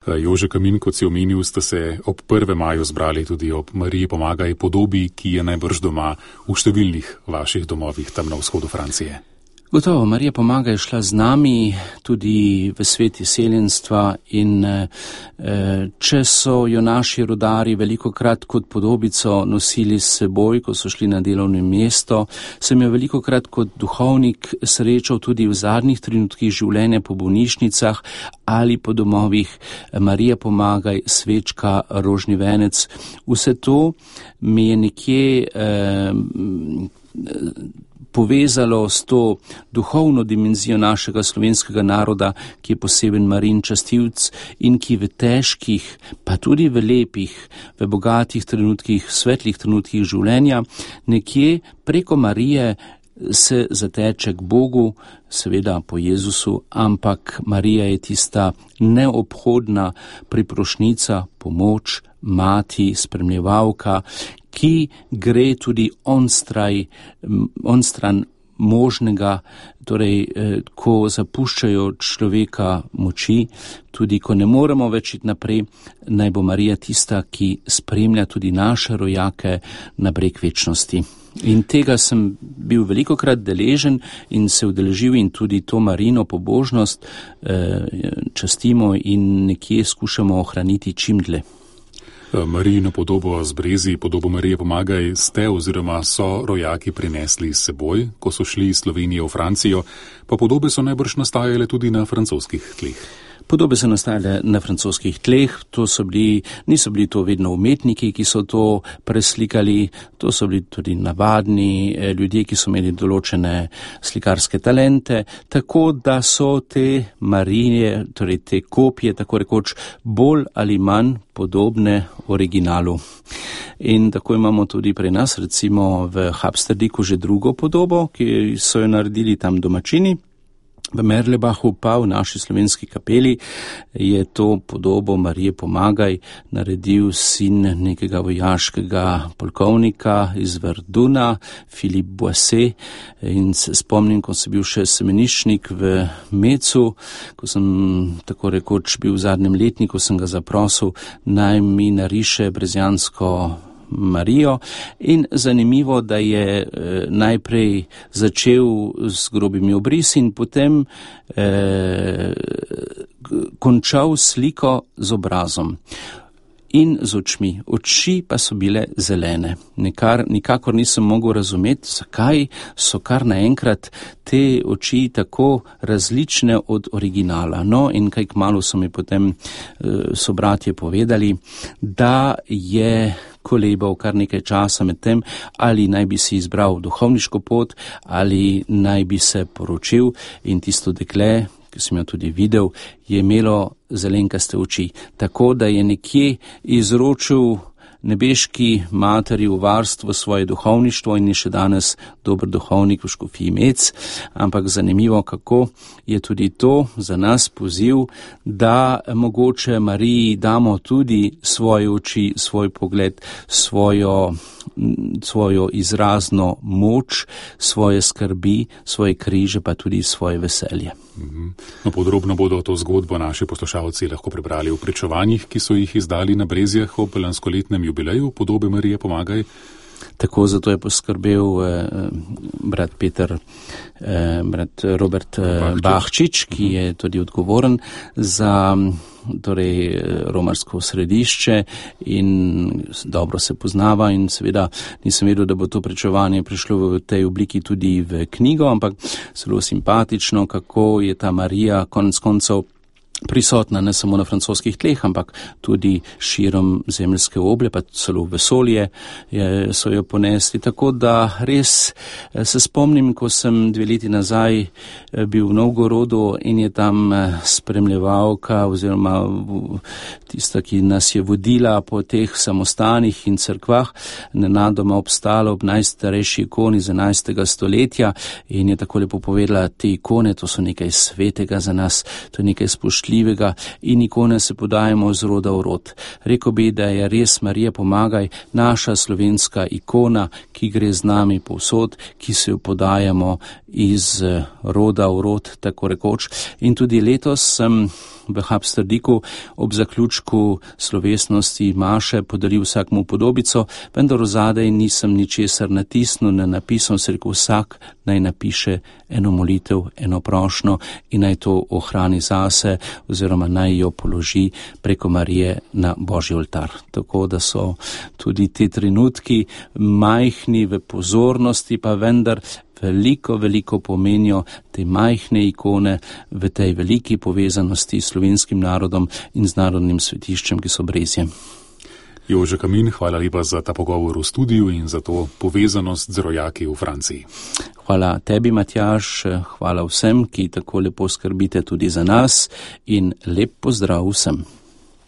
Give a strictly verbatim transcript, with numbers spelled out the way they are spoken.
Jože Kamin, kot si omenil, ste se ob prvem maju zbrali tudi ob Mariji pomagaj podobi, ki je najbrž doma v številnih vaših domovih tam na vzhodu Francije. Gotovo, Marija pomagaj je šla z nami tudi v svet izseljenstva in e, če so jo naši rodari velikokrat kot podobico nosili s seboj, ko so šli na delovno mesto, sem jo velikokrat kot duhovnik srečal tudi v zadnjih trenutkih življenja po bolnišnicah ali po domovih. Marija pomagaj, svečka, rožni venec. Vse to mi je nekje e, povezalo s to duhovno dimenzijo našega slovenskega naroda, ki je poseben Marijin častilc in ki v težkih, pa tudi v lepih, v bogatih trenutkih, svetlih trenutkih življenja, nekje preko Marije se zateče k Bogu, seveda po Jezusu, ampak Marija je tista neobhodna priprošnica, pomoč, mati, spremljevalka, ki gre tudi onstraj, onstran možnega, torej, ko zapuščajo človeka moči, tudi ko ne moremo več iti naprej, naj bo Marija tista, ki spremlja tudi naše rojake na breg večnosti. In tega sem bil velikokrat deležen in se udeležil in tudi to Marijino pobožnost eh, častimo in nekje skušamo ohraniti čim dlje. Marijino podobo z brezi, podobo Marije pomagaj, ste oziroma so rojaki prinesli s seboj, ko so šli iz Slovenije v Francijo, pa podobe so najbrž nastajale tudi na francoskih tleh. Podobe so nastajale na francoskih tleh, to so bili, niso bili to vedno umetniki, ki so to preslikali, to so bili tudi navadni ljudje, ki so imeli določene slikarske talente, tako da so te Marije, torej te kopije, tako rekoč, bolj ali manj podobne originalu. In tako imamo tudi pri nas, recimo v Habsterdiku že drugo podobo, ki so jo naredili tam domačini. V Merlebachu pa v naši slovenski kapeli je to podobo Marije pomagaj naredil sin nekega vojaškega polkovnika iz Verduna, Philippe Boisset, in se spomnim, ko sem bil še semeniščnik v Mecu, ko sem tako rekoč bil v zadnjem letniku, sem ga zaprosil, naj mi nariše brezjansko Marijo, in zanimivo, da je e, najprej začel z grobimi obrisi in potem e, končal sliko z obrazom in z očmi. Oči pa so bile zelene. Nikar, nikakor nisem mogel razumeti, zakaj so kar naenkrat te oči tako različne od originala. No, in kaj kmalu so mi potem e, so bratje povedali, da je kolebal kar nekaj časa med tem, ali naj bi si izbral duhovniško pot, ali naj bi se poročil, in tisto dekle, ki sem jo tudi videl, je imelo zelenkaste oči, tako da je nekje izročil nebeški materi v varstvo svoje duhovništvo in je še danes dober duhovnik v škofiji Mec, ampak zanimivo, kako je tudi to za nas poziv, da mogoče Mariji damo tudi svoje oči, svoj pogled, svojo, svojo izrazno moč, svoje skrbi, svoje križe, pa tudi svoje veselje. No, podrobno bodo to zgodbo naši poslušalci lahko prebrali v pričevanjih, ki so jih izdali na Brezjah ob lanskoletnem jubileju podobe Marije pomagaj. Tako, zato je poskrbel eh, brat Peter, eh, brat Robert eh, Bahčič, ki je tudi odgovoren za torej romarsko središče in dobro se poznava, in seveda nisem vedel, da bo to pričevanje prišlo v tej obliki tudi v knjigo, ampak zelo simpatično, kako je ta Marija konec koncev prisotna ne samo na francoskih tleh, ampak tudi širom zemeljske oble, pa celo vesolje je, so jo ponesli. Tako da res se spomnim, ko sem dve leti nazaj bil v Novgorodu in je tam spremljevalka oziroma tista, ki nas je vodila po teh samostanih in cerkvah, nenadoma obstala ob najstarejši ikoni iz enajstega stoletja in je tako lepo povedala, te ikone, to so nekaj svetega za nas, to je nekaj spoštljivega, in ikone se podajamo z roda v rod. Rekel bi, da je res Marija pomagaj naša slovenska ikona, ki gre z nami povsod, ki se jo podajamo iz roda v rod, tako rekoč. In tudi letos sem v Habsterdiku ob zaključku slovesnosti maše podaril vsakmu podobico, vendar ozadej nisem ničesar natisnil, ne napisal, se rekel, vsak naj napiše eno molitev, eno prošnjo in naj to ohrani zase oziroma naj jo položi preko Marije na Božji oltar. Tako da so tudi te trenutki majhni v pozornosti, pa vendar veliko, veliko pomenijo te majhne ikone v tej veliki povezanosti s slovenskim narodom in z narodnim svetiščem, ki so Brezje. Jože Kamin, hvala lepa za ta pogovor v studiu in za to povezanost z rojaki v Franciji. Hvala tebi, Matjaž, hvala vsem, ki tako lepo skrbite tudi za nas in lep pozdrav vsem.